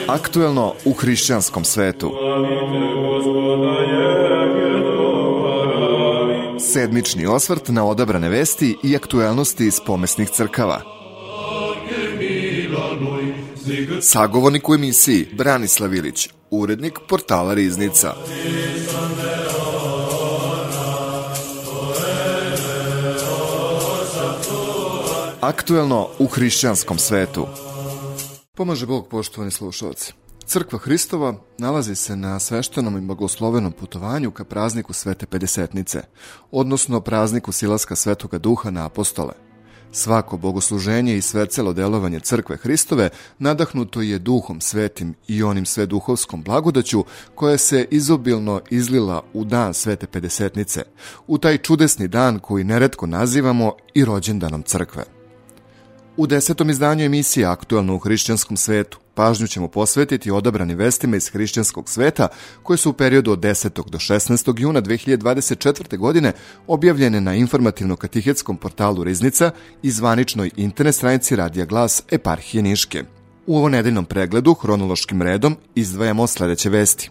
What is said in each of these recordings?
Aktuelno u hrišćanskom svetu. Sedmični osvrt na odabrane vesti i aktuelnosti iz pomesnih crkava. Sagovornik u emisiji Branislav Ilić, urednik portala Riznica. Aktuelno u hrišćanskom svetu. Pomaže Bog, poštovani slušalci. Crkva Hristova nalazi se na sveštenom i blagoslovenom putovanju ka prazniku Svete Pedesetnice, odnosno prazniku silaska Svetoga Duha na apostole. Svako bogosluženje i svecelo delovanje Crkve Hristove nadahnuto je Duhom Svetim i onim sveduhovskom blagodaću koja se izobilno izlila u dan Svete Pedesetnice, u taj čudesni dan koji neretko nazivamo i rođendanom Crkve. U 10. izdanju emisije Aktuelno u hrišćanskom svetu pažnju ćemo posvetiti odabranim vestima iz hrišćanskog sveta koje su u periodu od 10. do 16. juna 2024. godine objavljene na informativno-katihetskom portalu Riznica i zvaničnoj internet stranici Radija Glas Eparhije Niške. U ovo nedeljnom pregledu hronološkim redom izdvajamo sledeće vesti.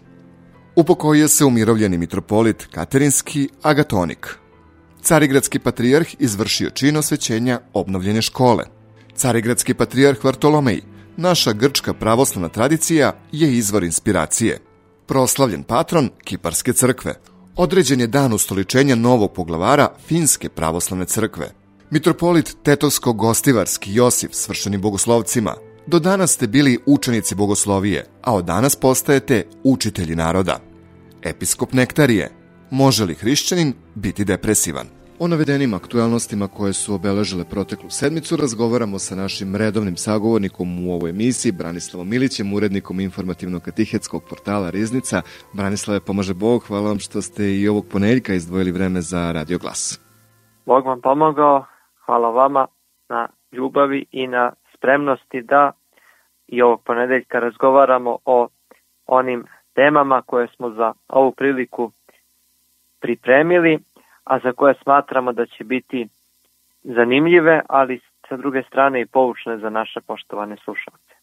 Upokojio se umirovljeni mitropolit Katerinski Agatonik. Carigradski patrijarh izvršio čin osvećenja obnovljene škole. Carigradski patrijarh Vartolomej, naša grčka pravoslavna tradicija je izvor inspiracije. Proslavljen patron Kiparske crkve. Određen je dan ustoličenja novog poglavara Finske pravoslavne crkve. Mitropolit Tetovsko-Gostivarski Josif svršeni bogoslovcima. Do danas ste bili učenici bogoslovije, a od danas postajete učitelji naroda. Episkop Nektarije. Može li hrišćanin biti depresivan? O navedenim aktuelnostima koje su obeležile proteklu sedmicu razgovaramo sa našim redovnim sagovornikom u ovoj emisiji, Branislavom Ilićem, urednikom informativno-katihetskog portala Riznica. Branislave, pomaže Bog, hvala vam što ste i ovog ponedeljka izdvojili vreme za Radio Glas. Bog vam pomogao, hvala vama na ljubavi i na spremnosti da i ovog ponedeljka razgovaramo o onim temama koje smo za ovu priliku pripremili, a za koje smatramo da će biti zanimljive, ali sa druge strane i poučne za naše poštovane slušalce.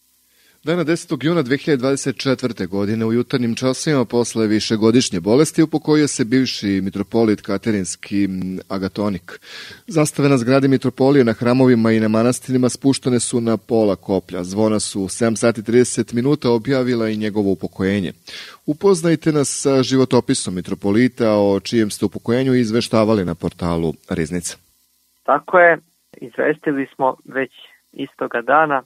Dana 10. juna 2024. godine u jutarnjim časima posle višegodišnje bolesti upokojio se bivši mitropolit Katerinski Agatonik. Zastave na zgradi mitropolije na hramovima i na manastirima spuštene su na pola koplja. Zvona su u 7 sati 30 minuta objavila i njegovo upokojenje. Upoznajte nas sa životopisom mitropolita, o čijem ste upokojenju izveštavali na portalu Riznica. Tako je, izvestili smo već istoga dana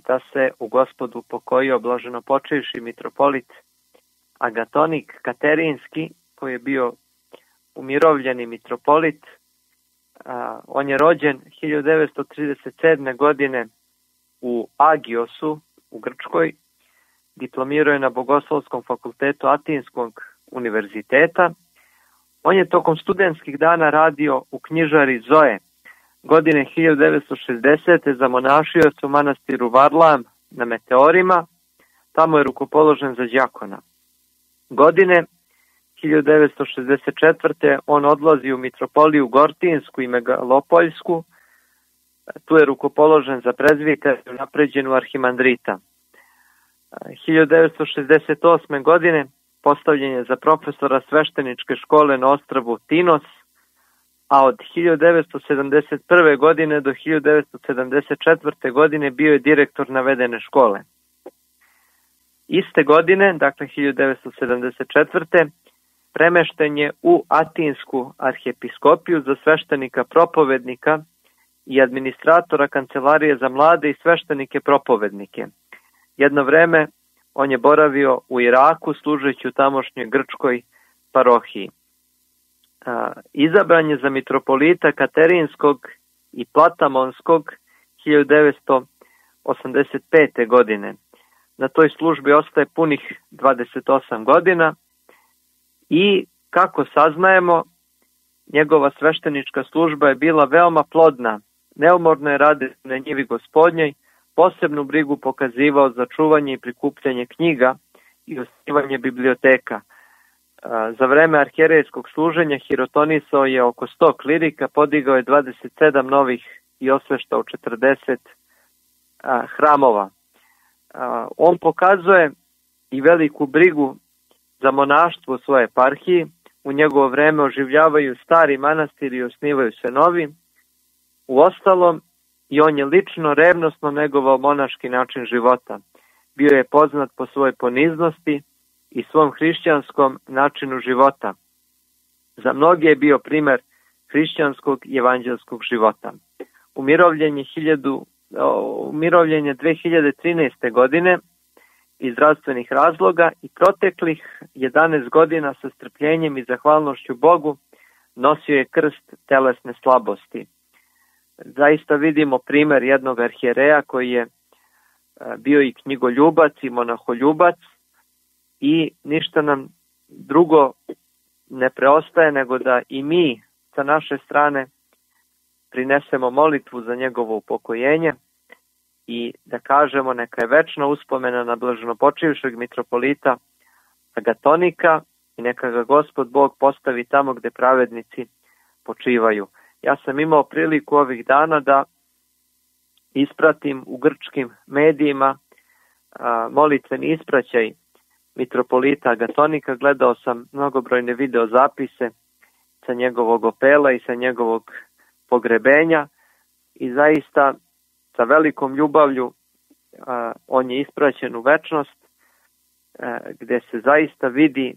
da se u Gospodu upokojio blaženopočivši mitropolit Agatonik Katerinski, koji je bio umirovljeni mitropolit. On je rođen 1937. godine u Agiosu u Grčkoj. Diplomirao je na Bogoslovskom fakultetu Atinskog univerziteta. On je tokom studentskih dana radio u knjižari Zoe. Godine 1960. zamonašio se u manastiru Varlam na Meteorima, tamo je rukopoložen za đakona. Godine 1964. on odlazi u mitropoliju Gortinsku i Megalopoljsku, tu je rukopoložen za prezbiteriju napređenu arhimandrita. 1968. godine postavljen je za profesora svešteničke škole na ostrvu Tinos, a od 1971. godine do 1974. godine bio je direktor navedene škole. Iste godine, dakle 1974. premešten je u Atinsku arhiepiskopiju za sveštenika propovednika i administratora kancelarije za mlade i sveštenike propovednike. Jedno vreme on je boravio u Iraku služeći u tamošnjoj grčkoj parohiji. Izabran je za mitropolita Katerinskog i Platamonskog 1985. godine. Na toj službi ostaje punih 28 godina i, kako saznajemo, njegova sveštenička služba je bila veoma plodna. Neumorno je radio na njivi Gospodnjoj, posebnu brigu pokazivao za čuvanje i prikupljanje knjiga i osnivanje biblioteka. Za vreme arhijerejskog služenja hirotonisao je oko 100 klirika, podigao je 27 novih i osveštao 40 hramova. On pokazuje i veliku brigu za monaštvo u svojoj eparhiji. U njegovo vreme oživljavaju stari manastiri i osnivaju se novi. Uostalom, i on je lično revnosno negovao monaški način života. Bio je poznat po svojoj poniznosti i svom hrišćanskom načinu života. Za mnoge je bio primer hrišćanskog i evanđelskog života. Umirovljen je 2013. godine iz zdravstvenih razloga i proteklih 11 godina sa strpljenjem i zahvalnošću Bogu nosio je krst telesne slabosti. Zaista vidimo primer jednog arhijereja koji je bio i knjigoljubac i monaholjubac i ništa nam drugo ne preostaje nego da i mi sa naše strane prinesemo molitvu za njegovo upokojenje i da kažemo neka je večna uspomena na blaženopočivšeg mitropolita Agatonika i neka ga Gospod Bog postavi tamo gde pravednici počivaju. Ja sam imao priliku ovih dana da ispratim u grčkim medijima molitveni ispraćaj mitropolita Agatonika. Gledao sam mnogobrojne video zapise sa njegovog opela i sa njegovog pogrebenja i zaista sa velikom ljubavlju on je ispraćen u večnost gde se zaista vidi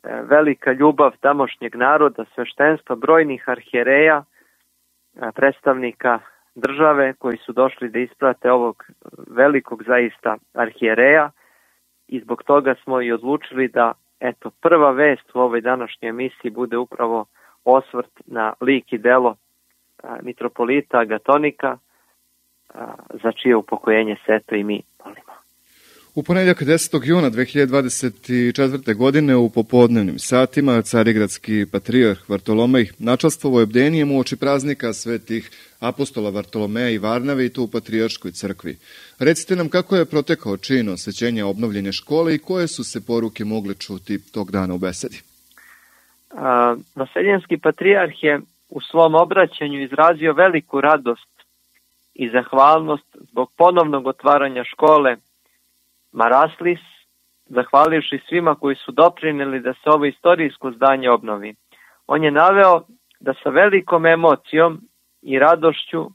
velika ljubav tamošnjeg naroda, sveštenstva, brojnih arhijereja, predstavnika države koji su došli da isprate ovog velikog zaista arhijereja i zbog toga smo i odlučili da prva vest u ovoj današnjoj emisiji bude upravo osvrt na lik i delo mitropolita Agatonika, za čije upokojenje se i mi molimo. U ponedjeljak 10. juna 2024. godine u popodnevnim satima carigradski patrijarh Vartolomej načastvovao je bdenijem uoči praznika svetih apostola Vartolomeja i Varnave i to u Patrijarškoj crkvi. Recite nam kako je protekao čin osvećenja obnovljene škole i koje su se poruke mogle čuti tog dana u besedi. Vaseljenski patrijarh je u svom obraćanju izrazio veliku radost i zahvalnost zbog ponovnog otvaranja škole Maraslis, zahvalivši svima koji su doprineli da se ovo istorijsko zdanje obnovi. On je naveo da sa velikom emocijom i radošću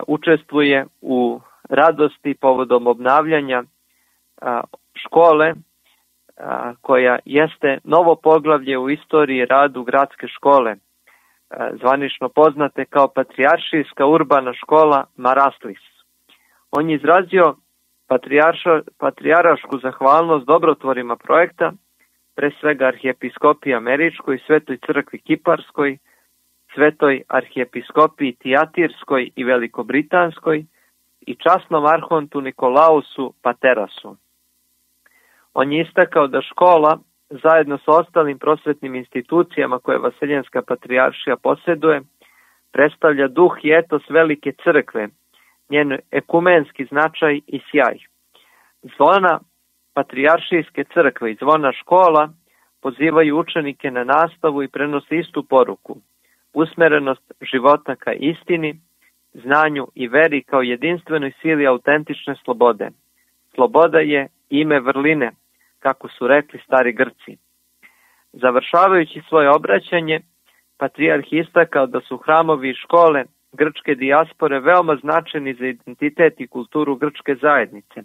učestvuje u radosti povodom obnavljanja škole koja jeste novo poglavlje u istoriji radu gradske škole, zvanično poznate kao Patrijaršijska urbana škola Maraslis. On je izrazio patrijarašku zahvalnost dobrotvorima projekta, pre svega arhijepiskopiji američkoj, Svetoj crkvi kiparskoj, Svetoj arhijepiskopiji tijatirskoj i velikobritanskoj i časnom arhontu Nikolausu Paterasu. On je istakao da škola, zajedno sa ostalim prosvetnim institucijama koje Vaseljenska patrijaršija posjeduje, predstavlja duh i etos velike crkve, njen ekumenski značaj i sjaj. Zvona Patrijaršijske crkve i zvona škola pozivaju učenike na nastavu i prenose istu poruku, usmerenost života ka istini, znanju i veri kao jedinstvenoj sili autentične slobode. Sloboda je ime vrline, kako su rekli stari Grci. Završavajući svoje obraćanje, patrijarh istakao da su hramovi i škole grčke dijaspore veoma značajni za identitet i kulturu grčke zajednice.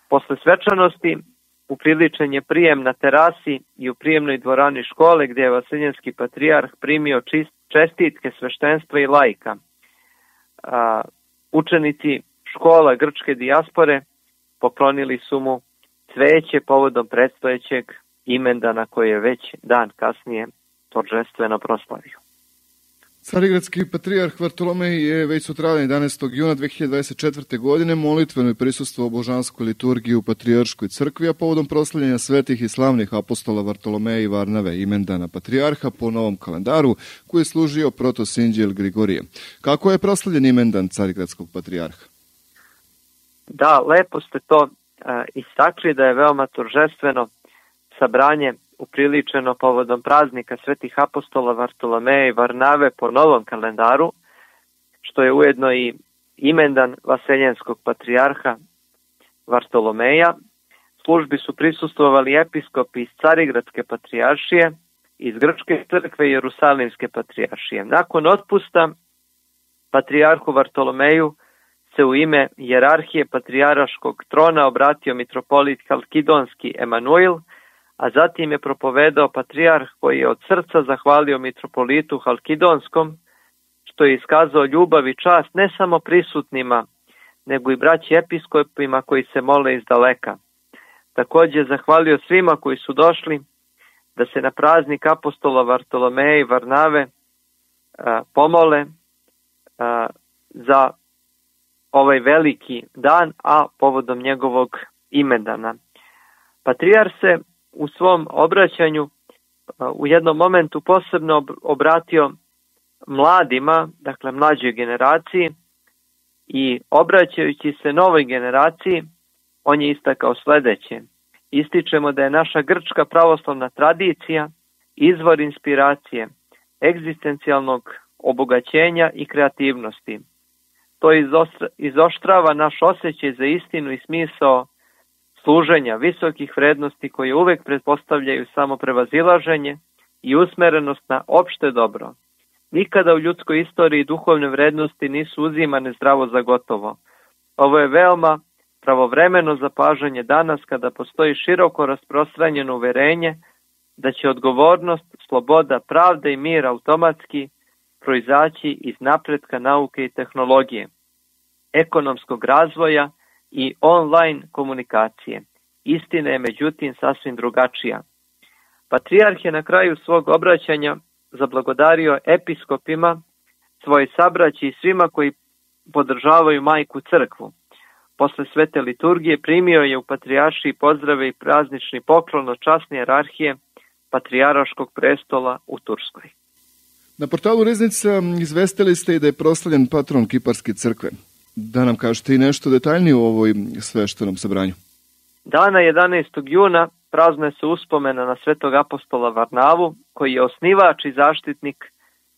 Posle svečanosti upriličen je prijem na terasi i u prijemnoj dvorani škole gdje je Vaseljenski patrijarh primio čestitke sveštenstva i laika. Učenici škola grčke dijaspore poklonili su mu cveće povodom predstojećeg imendana koje je već dan kasnije торжествено proslavio. Carigradski patrijarh Vartolomej je već sutradan 11. juna 2024. godine molitveno prisustvovao božanskoj liturgiji u Patrijarškoj crkvi, a povodom proslavljanja svetih i slavnih apostola Vartolomeja i Varnave, imendana patrijarha po novom kalendaru koji je služio protosinđel Grigorije. Kako je proslavljen imendan carigradskog patrijarha? Da, lepo ste to istakli da je veoma торжествeno sabranje upriličeno povodom praznika svetih apostola Vartolomeja i Varnave po novom kalendaru, što je ujedno i imendan vaseljenskog patrijarha Vartolomeja. Službi su prisustvovali episkopi iz Carigradske patrijaršije, iz Grčke crkve i Jerusalimske patrijaršije. Nakon otpusta patrijarhu Vartolomeju se u ime hijerarhije patrijaraškog trona obratio mitropolit Halkidonski Emanuil, a zatim je propovedao patrijarh koji je od srca zahvalio mitropolitu Halkidonskom, što je iskazao ljubav i čast ne samo prisutnima, nego i braći episkopima koji se mole iz daleka. Također zahvalio svima koji su došli da se na praznik apostola Vartolomeja i Varnave pomole za ovaj veliki dan, a povodom njegovog imendana. Patrijar se u svom obraćanju u jednom momentu posebno obratio mladima, dakle mlađoj generaciji, i obraćajući se novoj generaciji, on je istakao sljedeće. Ističemo da je naša grčka pravoslavna tradicija izvor inspiracije, egzistencijalnog obogaćenja i kreativnosti. To izoštrava naš osjećaj za istinu i smisao služenja visokih vrednosti koje uvek pretpostavljaju samo prevazilaženje i usmerenost na opšte dobro. Nikada u ljudskoj istoriji duhovne vrednosti nisu uzimane zdravo za gotovo. Ovo je veoma pravovremeno zapažanje danas kada postoji široko rasprostranjeno uverenje da će odgovornost, sloboda, pravda i mir automatski proizaći iz napretka nauke i tehnologije, ekonomskog razvoja i online komunikacije. Istina je međutim sasvim drugačija. Patrijarh je na kraju svog obraćanja zablagodario episkopima, svoje sabraći i svima koji podržavaju majku crkvu. Posle svete liturgije primio je u patrijaršiji pozdrave i praznični poklon od časne hijerarhije Patrijaraškog prestola u Turskoj. Na portalu Riznica izvestili ste i da je proslavljen patron Kiparske crkve. Da nam kažete i nešto detaljnije o ovoj sveštenom sabranju. Dana 11. juna praznuje se uspomena na svetog apostola Varnavu, koji je osnivač i zaštitnik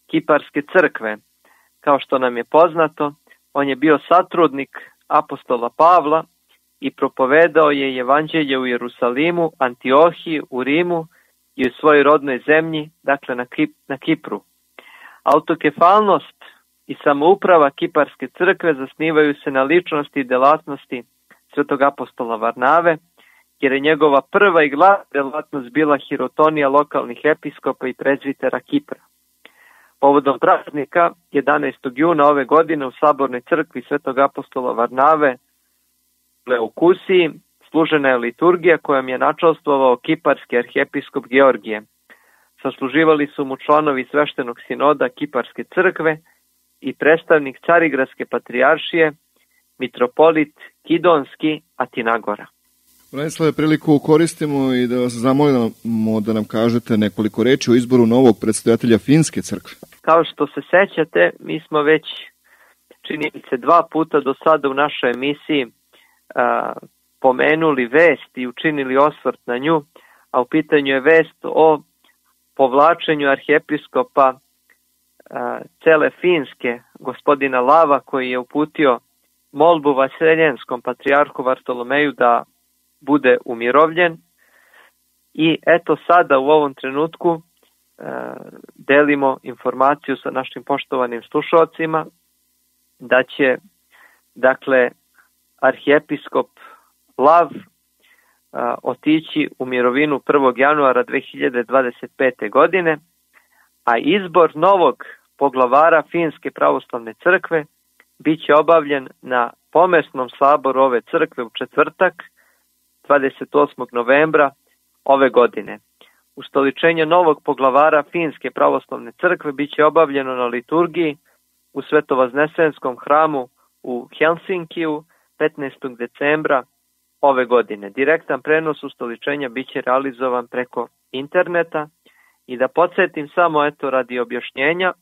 Kiparske crkve. Kao što nam je poznato, on je bio satrudnik apostola Pavla i propovedao je evanđelje u Jerusalimu, Antiohiji, u Rimu i u svojoj rodnoj zemlji, dakle na Kipru. Autokefalnost i samouprava Kiparske crkve zasnivaju se na ličnosti i delatnosti svetog apostola Varnave, jer je njegova prva i glavna delatnost bila hirotonija lokalnih episkopa i prezvitera Kipra. Povodom praznika 11. juna ove godine u Sabornoj crkvi svetog apostola Varnave u Kusiji služena je liturgija kojom je načalstvovao kiparski arhijepiskop Georgije. Sasluživali su mu članovi sveštenog sinoda Kiparske crkve i predstavnik Carigradske patrijaršije, mitropolit Kidonski Atinagora. Branislave, priliku koristimo i da vas zamolimo da nam kažete nekoliko reči o izboru novog predsjedatelja Finske crkve. Kao što se sećate, mi smo već čini se 2 puta do sada u našoj emisiji pomenuli vest i učinili osvrt na nju, a u pitanju je vest o povlačenju arhijepiskopa cele Finske, gospodina Lava, koji je uputio molbu vaseljenskom patrijarhu Vartolomeju da bude umirovljen. I eto sada u ovom trenutku delimo informaciju sa našim poštovanim slušalcima da će dakle arhijepiskop Lav otići u mirovinu 1. januara 2025. godine, a izbor novog poglavara Finske pravoslavne crkve bit će obavljen na pomesnom saboru ove crkve u četvrtak 28. novembra ove godine. Ustoličenje novog poglavara Finske pravoslavne crkve bit će obavljeno na liturgiji u Svetovaznesenskom hramu u Helsinkiju 15. decembra ove godine. Direktan prenos ustoličenja bit će realizovan preko interneta i da podsjetim samo radi objašnjenja,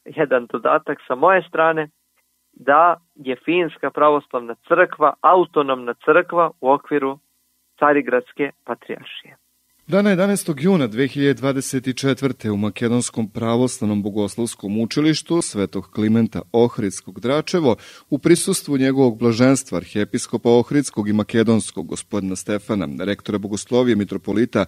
jedan dodatak sa moje strane, da je Finska pravoslavna crkva autonomna crkva u okviru Carigradske patrijaršije. Dana 11. juna 2024. u Makedonskom pravoslavnom bogoslovskom učilištu Svetog Klimenta Ohridskog Dračevo u prisustvu njegovog blaženstva arhijepiskopa Ohridskog i Makedonskog gospodina Stefana, rektora bogoslovije mitropolita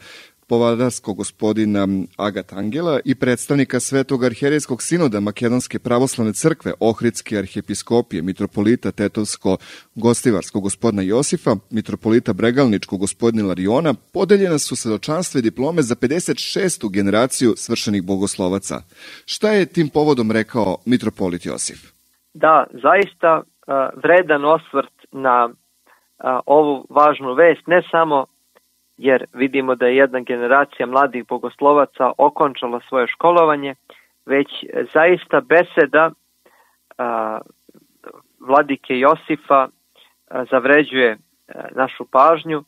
Povadarskog gospodina Agat Angela i predstavnika Svetog arhijerejskog sinoda Makedonske pravoslavne crkve Ohridske arhijepiskopije mitropolita Tetovsko-Gostivarskog gospodina Josifa, mitropolita Bregalničkog gospodina Lariona, podeljena su svedočanstva i diplome za 56. generaciju svršenih bogoslovaca. Šta je tim povodom rekao mitropolit Josif? Da, zaista vredan osvrt na ovu važnu vest, ne samo jer vidimo da je jedna generacija mladih bogoslovaca okončala svoje školovanje, već zaista beseda vladike Josifa zavređuje našu pažnju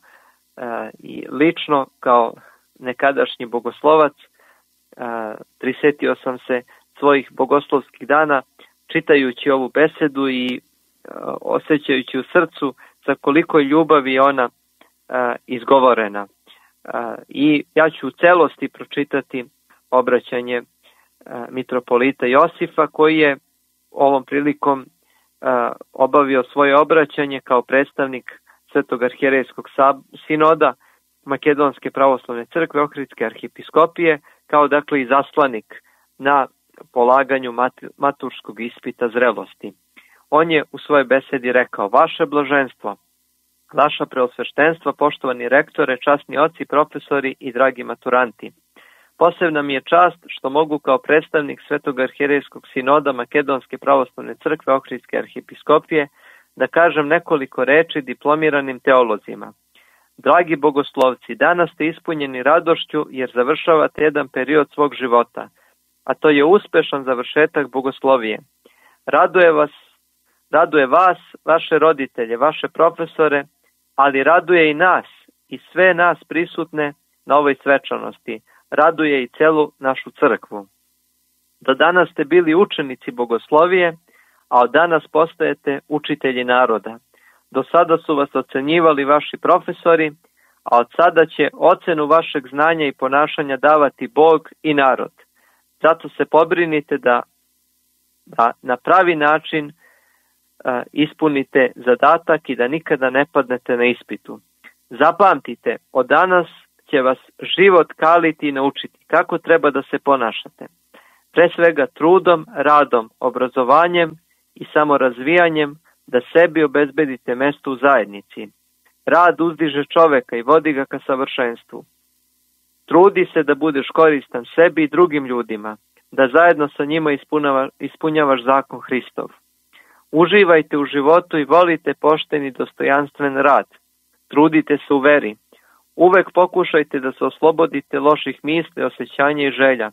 i lično kao nekadašnji bogoslovac prisetio sam se svojih bogoslovskih dana čitajući ovu besedu i osjećajući u srcu za koliko ljubavi je ona izgovorena. I ja ću u celosti pročitati obraćanje mitropolita Josifa, koji je ovom prilikom obavio svoje obraćanje kao predstavnik Svetog arhijerejskog sinoda Makedonske pravoslavne crkve Ohridske arhijepiskopije, kao dakle i zaslanik na polaganju maturskog ispita zrelosti. On je u svojoj besedi rekao: vaše blaženstvo, vaša preosveštenstva, poštovani rektore, časni oci, profesori i dragi maturanti. Posebna mi je čast što mogu kao predstavnik Svetog arhijerejskog sinoda Makedonske pravoslavne crkve Ohridske arhijepiskopije da kažem nekoliko reči diplomiranim teolozima. Dragi bogoslovci, danas ste ispunjeni radošću jer završavate jedan period svog života, a to je uspešan završetak bogoslovije. Raduje vas, vaše roditelje, vaše profesore, ali raduje i nas i sve nas prisutne na ovoj svečanosti. Raduje i celu našu crkvu. Do danas ste bili učenici bogoslovije, a od danas postajete učitelji naroda. Do sada su vas ocenjivali vaši profesori, a od sada će ocenu vašeg znanja i ponašanja davati Bog i narod. Zato se pobrinite da na pravi način ispunite zadatak i da nikada ne padnete na ispitu. Zapamtite, od danas će vas život kaliti i naučiti kako treba da se ponašate. Pre svega trudom, radom, obrazovanjem i samorazvijanjem da sebi obezbedite mesto u zajednici. Rad uzdiže čoveka i vodi ga ka savršenstvu. Trudi se da budeš koristan sebi i drugim ljudima, da zajedno sa njima ispunjavaš zakon Hristov. Uživajte u životu i volite pošten i dostojanstven rad. Trudite se u veri. Uvek pokušajte da se oslobodite loših misli, osjećanja i želja.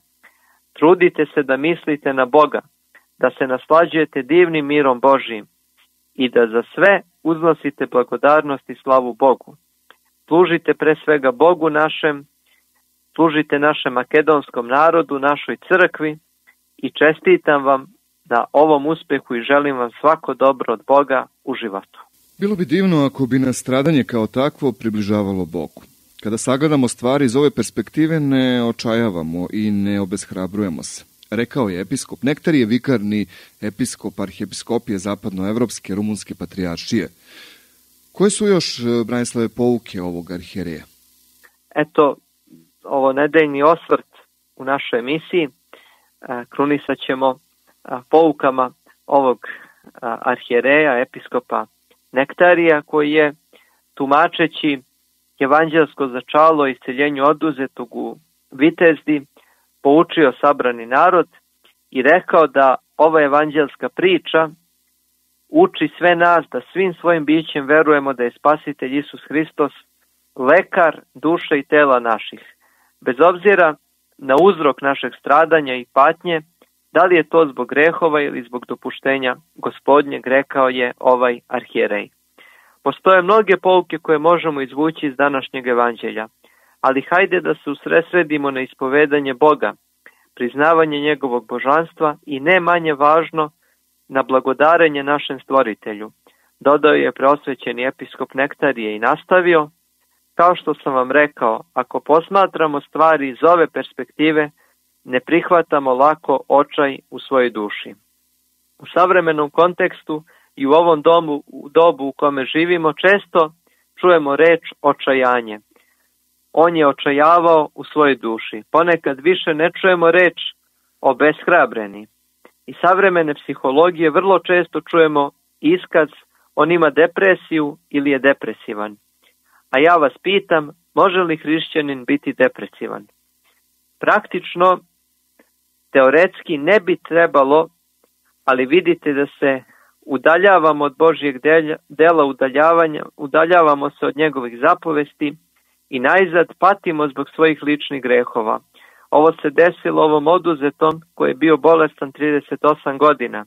Trudite se da mislite na Boga, da se naslađujete divnim mirom Božijim i da za sve uznosite blagodarnost i slavu Bogu. Služite pre svega Bogu našem, služite našem makedonskom narodu, našoj crkvi i čestitam vam na ovom uspehu i želim vam svako dobro od Boga u životu. Bilo bi divno ako bi nas stradanje kao takvo približavalo Bogu. Kada sagledamo stvari iz ove perspektive ne očajavamo i ne obeshrabrujemo se. Rekao je episkop Nektarije, vikarni episkop arhijepiskopije zapadnoevropske rumunske patrijaršije. Koje su još, Branislave, pouke ovog arhijereja? Eto, ovo nedeljni osvrt u našoj emisiji krunisat ćemo poukama ovog arhijereja, episkopa Nektarija, koji je, tumačeći evanđelsko začalo isceljenju oduzetog u Vitezdi, poučio sabrani narod i rekao da ova evanđelska priča uči sve nas da svim svojim bićem verujemo da je Spasitelj Isus Hristos lekar duše i tela naših. Bez obzira na uzrok našeg stradanja i patnje, da li je to zbog grehova ili zbog dopuštenja Gospodnjeg, rekao je ovaj arhijerej. Postoje mnoge pouke koje možemo izvući iz današnjeg evanđelja, ali hajde da se usredsredimo na ispovedanje Boga, priznavanje njegovog božanstva i ne manje važno na blagodarenje našem stvoritelju. Dodao je preosvećeni episkop Nektarije i nastavio: kao što sam vam rekao, ako posmatramo stvari iz ove perspektive, ne prihvatamo lako očaj u svojoj duši. U savremenom kontekstu i u ovom dobu u kome živimo često čujemo reč očajanje. On je očajavao u svojoj duši. Ponekad više ne čujemo reč obeshrabreni. Iz savremene psihologije vrlo često čujemo iskaz on ima depresiju ili je depresivan. A ja vas pitam, može li hrišćanin biti depresivan? Praktično, teoretski ne bi trebalo, ali vidite da se udaljavamo od Božjeg dela udaljavamo se od njegovih zapovesti i najzad patimo zbog svojih ličnih grehova. Ovo se desilo ovom oduzetom koji je bio bolestan 38 godina,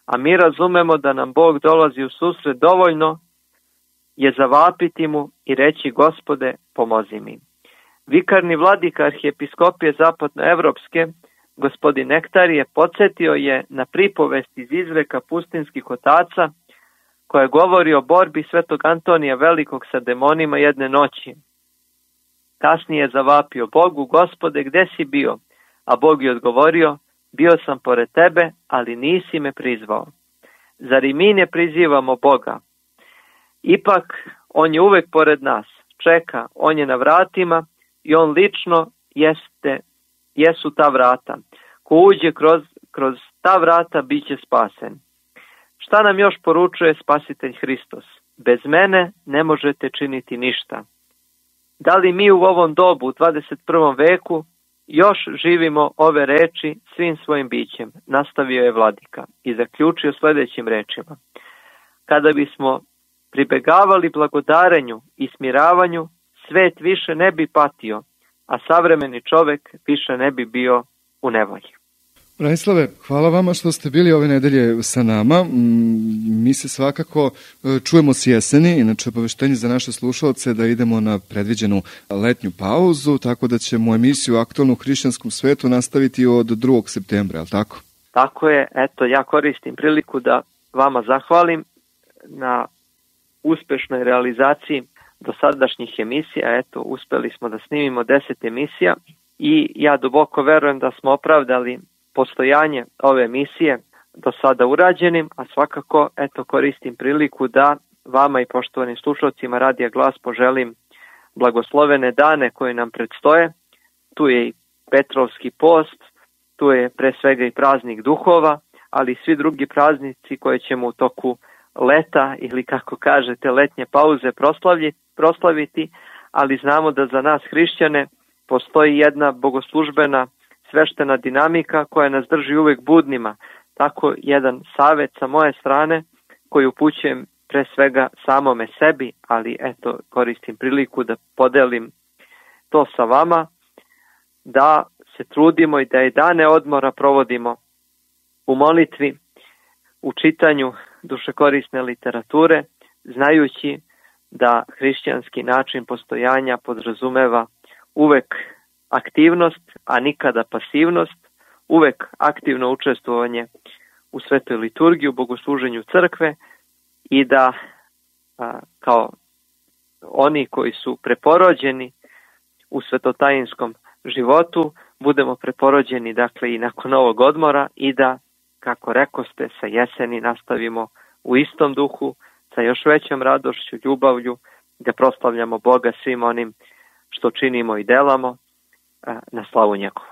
a mi razumemo da nam Bog dolazi u susret dovoljno je zavapiti mu i reći Gospode, pomozi mi. Vikarni vladika arhijepiskopije zapadnoevropske, gospodin Nektarije, podsjetio je na pripovest iz izreka pustinskih otaca koja govori o borbi svetog Antonija Velikog sa demonima jedne noći. Kasnije je zavapio Bogu, Gospode, gde si bio? A Bog je odgovorio, bio sam pored tebe, ali nisi me prizvao. Zar i mi ne prizivamo Boga? Ipak, on je uvek pored nas, čeka, on je na vratima i on lično jesu ta vrata. Ko uđe kroz ta vrata, bit će spasen. Šta nam još poručuje Spasitelj Hristos? Bez mene ne možete činiti ništa. Da li mi u ovom dobu, u 21. veku, još živimo ove reči svim svojim bićem? Nastavio je vladika i zaključio sljedećim rečima. Kada bismo pribegavali blagodarenju i smiravanju, svet više ne bi patio, a savremeni čovek više ne bi bio u nevolji. Branislave, hvala vama što ste bili ove nedelje sa nama. Mi se svakako čujemo s jeseni, inače obaveštenje za naše slušalce da idemo na predviđenu letnju pauzu, tako da ćemo emisiju Aktualno u hrišćanskom svetu nastaviti od 2. septembra, je li tako? Tako je, eto, ja koristim priliku da vama zahvalim na uspešnoj realizaciji dosadašnjih emisija. Eto, uspeli smo da snimimo 10 emisija i ja duboko verujem da smo opravdali postojanje ove emisije do sada urađenim, a svakako eto koristim priliku da vama i poštovanim slušalcima Radija Glas poželim blagoslovene dane koje nam predstoje. Tu je i Petrovski post, tu je pre svega i praznik duhova, ali i svi drugi praznici koje ćemo u toku leta ili kako kažete letnje pauze proslaviti, ali znamo da za nas hrišćane postoji jedna bogoslužbena sveštena dinamika koja nas drži uvek budnima. Tako jedan savjet sa moje strane koji upućujem pre svega samome sebi, ali eto koristim priliku da podelim to sa vama, da se trudimo i da i dane odmora provodimo u molitvi, u čitanju dušekorisne literature, znajući da hrišćanski način postojanja podrazumeva uvek aktivnost, a nikada pasivnost, uvek aktivno učestvovanje u svetoj liturgiji, u bogosluženju crkve i da kao oni koji su preporođeni u svetotajinskom životu budemo preporođeni dakle i nakon ovog odmora i da, kako rekoste, sa jeseni nastavimo u istom duhu, sa još većom radošću, ljubavlju, da proslavljamo Boga svim onim što činimo i delamo na slavu njegovu.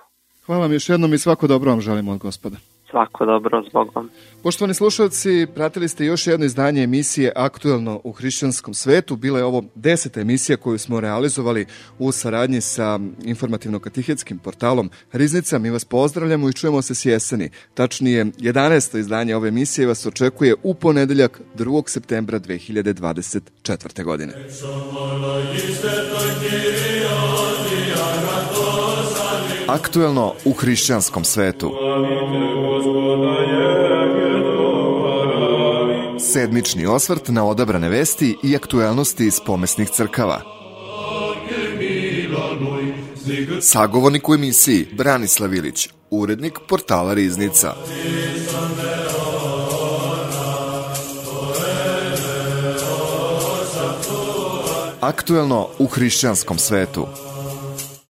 Hvala vam još jednom i svako dobro vam želimo od Gospoda. Svako dobro, s Bogom. Poštovani slušalci, pratili ste još jedno izdanje emisije Aktualno u hrišćanskom svetu. Bila je ovo 10. emisija koju smo realizovali u saradnji sa informativno-katihetskim portalom Riznica. Mi vas pozdravljamo i čujemo se s jeseni. Tačnije, 11. izdanje ove emisije vas očekuje u ponedeljak 2. septembra 2024. godine. Aktualno u hrišćanskom svetu. Sedmični osvrt na odabrane vesti i aktuelnosti iz pomesnih crkava. Sagovornik u emisiji Branislav Ilić, urednik portala Riznica. Aktuelno u hrišćanskom svetu.